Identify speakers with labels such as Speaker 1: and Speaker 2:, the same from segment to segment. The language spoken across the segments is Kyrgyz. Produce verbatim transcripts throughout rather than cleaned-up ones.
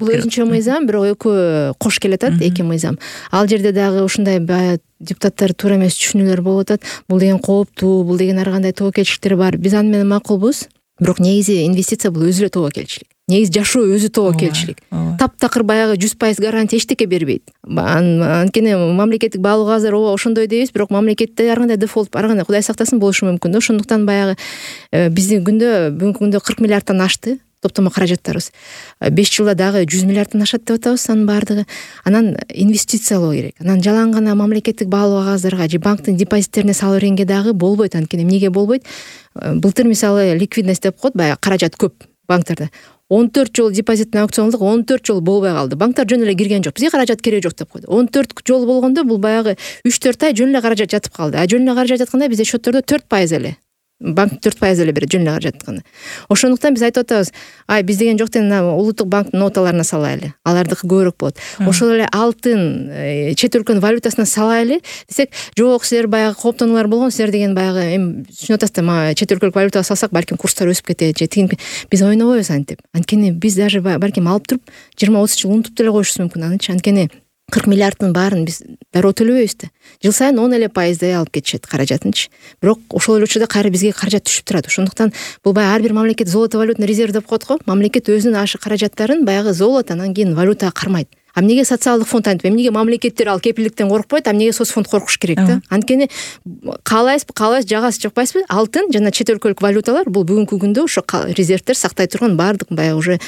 Speaker 1: бул өзүнчө мыйзам, бирок экөө кош келатат, эки мыйзам. Ал жерде дагы ушундай баягы депутаттар туура эмес түшүнүүлөр болуп атат. Бул деген кооптуу, бул деген ар кандай тобокелчиликтер бар. Биз аны менен макулбуз. Бирок негизи инвестиция бул өзү эле тобокелчилик. Негизи жашоо өзү тобокелчилик. Таптакыр баягы жүз пайыз гарантия эчтеке бербейт. Анткени мамлекеттик баалуу кагаздар ооба ошондой дейбиз, бирок мамлекетте ар кандай дефолт, ар кандай Кудай сактасын болушу мүмкүн да. Ошондуктан баягы биздин күндө бүгүнкү күндө кырк миллиардтан ашты топтомо каражаттарыбыз. беш жылда дагы жүз миллиардтан ашат деп атабыз анын баардыгы. Анан инвестициялоо керек. Анан жалаң гана мамлекеттик баалуу кагаздарга же банктын депозиттерине салып бергенге дагы болбойт. Анткени эмнеге болбойт? Былтыр мисалы ликвидность деп коет, баягы каражат көп банктарда. он төрт жолу депозиттин аукциондук он төрт жолу болбой калды. Банктар жөн эле кирген жок. Бизге каражат кереги жок деп койду. он төрт жолу болгондо бул баягы үч төрт ай жөн эле каражат жатып калды. А жөн эле каражат жатканда бизде счеттордо төрт пайыз эле. Банк төрт пайыз эле берет жөн эле каражат жатканда. Ошондуктан биз айтып атабыз, ай биз деген жок деген улуттук банктын ноталарына салайлы. Алардыкы көбүрөөк болот. Ошол эле алтын, чет өлкөнүн валютасына салайлы десек, жок силер баягы кооптонуулар болгон, силер деген баягы эми түшүнүп атасыздар, чет өлкөлүк валютага салсак балким курстар өсүп кетет же тиги. Биз ойнобойбуз антип. Анткени биз даже балким алып туруп жыйырма отуз жыл унутуп деле коюшубуз мүмкүн анычы. Анткени кырк миллиардтын баарын биз дароо төлөбөйбүз да. Жыл сайын он эле пайыздай алып кетишет каражатынчы. Бирок ошол эле учурда кайра бизге каражат түшүп турат. Ошондуктан бул баягы ар бир мамлекет золото валютный резерв деп коет го. Мамлекет өзүнүн ашы каражаттарын баягы золото, анан кийин валютага кармайт. А эмнеге социалдык фонд антип, эмнеге мамлекеттер ал кепилдиктен коркпойт, а эмнеге соцфонд коркуш керек да? Анткени каалайсызбы, каалайсыз жагасыз жакпайсызбы? Алтын жана чет өлкөлүк валюталар бул бүгүнкү күндө ошо резервдер сактай турган баардык баягы уже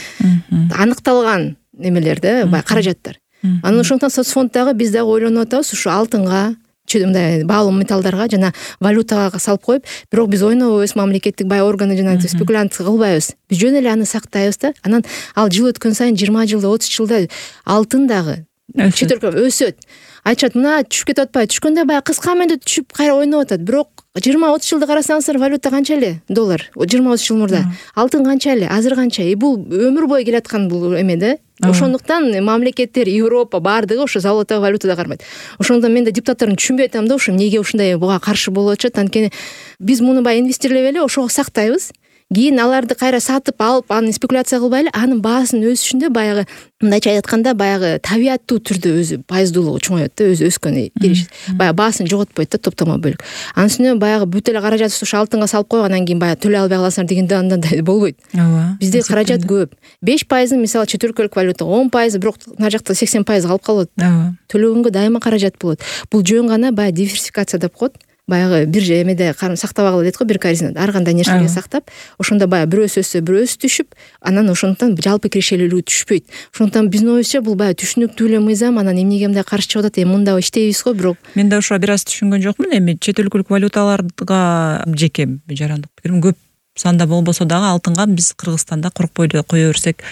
Speaker 1: аныкталган немелер да, баягы каражаттар. Анан ошондуктан соцфонд дагы биз дагы ойлонуп атабыз, ушу алтынга, мындай баалуу металлдарга жана валютага салып коюп, бирок биз ойнобойбуз, мамлекеттик баягы органы жана спекулянт кылбайбыз. Биз жөн эле аны сактайбыз да. Анан ал жыл өткөн сайын жыйырма жылда, отуз жылда алтын дагы чет өлкө өсөт. Айтышат, мына түшүп кетип атпайбы? Түшкөндө баягы кыска мөөнөттө түшүп кайра ойноп атат. Бирок жыйырма отуз жылда карасаңыздар, валюта канча эле? Доллар жыйырма отуз жыл мурда. Алтын канча эле? Азыр канча? И бул өмүр бою келаткан бул эме да. Ошондуктан мамлекеттер, Европа баардыгы ошо золотого валютада кармайт. Ошондуктан мен да депутаттарын түшүнбөй атам да, ошо эмнеге ушундай буга каршы болуп атышат. Анткени биз муну баягы инвестирлеп эле ошого сактайбыз. Кийин аларды кайра сатып алып, аны спекуляция кылбайлы, анын баасын өсүшүндө баягы мындайча айтканда баягы табияттуу түрдө өзү пайыздуулугу чоңоет да, өзү өскөн келишет. Баягы баасын жоготпойт да топтомо бөлүк. Анын үстүнө баягы бүт эле каражат ушу алтынга салып коюп, анан кийин баягы төлөй албай каласыңар дегенде андай болбойт.
Speaker 2: Ооба.
Speaker 1: Бизде каражат көп. беш пайызын мисалы чет өлкөлүк валюта, он пайыз, бирок нары жакта сексен пайыз калып калат.
Speaker 2: Ооба.
Speaker 1: Төлөгөнгө дайыма каражат болот. Бул жөн гана баягы диверсификация деп коет. Баягы бир эмеде сактабагыла дейт го, бир корзинада ар кандай нерселерди сактап, ошондо баягы бирөөсү өссө бирөөсү түшүп, анан ошондуктан жалпы кирешелүүлүгү түшпөйт. Ошондуктан биздин оюбузча бул баягы түшүнүктүү эле мыйзам, анан эмнеге мындай каршы чыгып атат? Эми мында иштейбиз го, бирок
Speaker 2: мен да ошо бир аз түшүнгөн жокмун. Эми чет өлкөлүк валюталарга жеке жарандык пикирим, көп санда болбосо дагы алтынга биз Кыргызстанда коркпой эле кое берсек,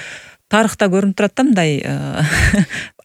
Speaker 2: тарыхта көрүнүп турат да, мындай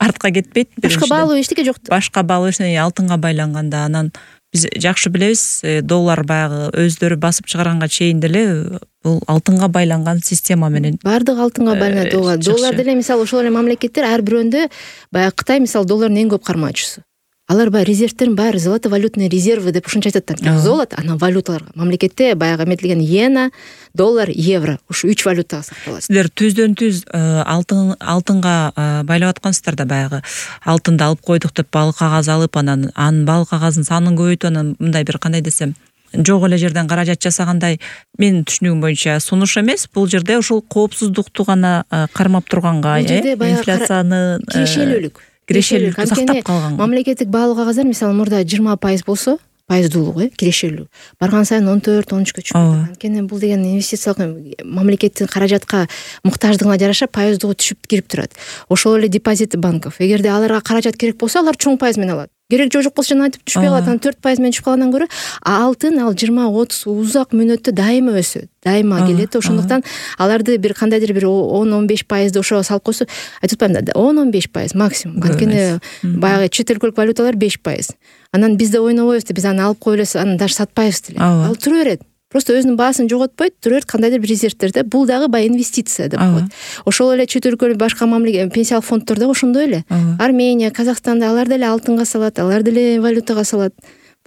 Speaker 2: артка кетпейт.
Speaker 1: Башка баалуу эчтеке жок.
Speaker 2: Башка баалуу алтынга байланганда, анан биз жакшы билебиз, доллар баягы өздөрү басып чыгарганга чейин деле бул алтынга байланган система менен
Speaker 1: баардык алтынга байланат. Ооба, доллар деле мисалы ошол эле мамлекеттер ар бирөөндө баягы Кытай мисалы доллардын эң көп кармоочусу. Алар баягы резервтерин баары золото валютный резервы деп ушунча айтат да. Золото, анан валюталарга. Мамлекетте баягы эметилген иена, доллар, евро, ушу үч валютага сакталат.
Speaker 2: Силер түздөн-түз алтын алтынга байлап аткансыздар да, баягы алтынды алып койдук деп балык кагаз алып, анан анын балык кагазынын санын көбөйтүп, анан мындай бир кандай десем, жок эле жерден каражат жасагандай, менин түшүнүгүм боюнча сунуш эмес. Бул жерде ошол коопсуздукту гана кармап турганга, инфляцияны
Speaker 1: кирешелүүлүк
Speaker 2: кирешелүүлүктү сактап калганга.
Speaker 1: Мамлекеттик баалуу кагаздар мисалы мурда жыйырма пайыз болсо, пайыздуулугу, кирешелүү барган сайын он төрт он үчкө чыгып кетет. Анткени бул деген инвестициялык мамлекеттин каражатка муктаждыгына жараша пайыздуулугу түшүп кирип турат. Ошол эле депозит банков. Эгерде аларга каражат керек болсо, алар чоң пайыз менен алат. Керек жок жок болсо жана айтып түшпөй калат, анан төрт пайыз менен түшүп калгандан көрө, алтын ал жыйырма отуз узак мөөнөттө дайыма өсөт, дайыма келет. Ошондуктан аларды бир кандайдыр бир он он беш пайызды ошого салып койсо, айтып атпаймынбы, он он беш пайыз максимум. Анткени баягы чет өлкөлүк валюталар беш пайыз. Анан бизде ойнобойбуз, биз аны алып коюп эле, аны даже сатпайбыз деле. Ал тура берет. Просто өзүнүн баасын жоготпойт, тура берет кандайдыр бир резервтерде. Бул дагы баягы инвестиция деп коет. Ошол эле чет өлкөлүк башка мамлекет пенсиялык фонддор да ошондой эле. Армения, Казакстанда алар деле алтынга салат, алар деле валютага салат.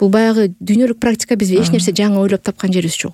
Speaker 1: Бул баягы дүйнөлүк практика, биз эч нерсе жаңы ойлоп тапкан жерибиз жок.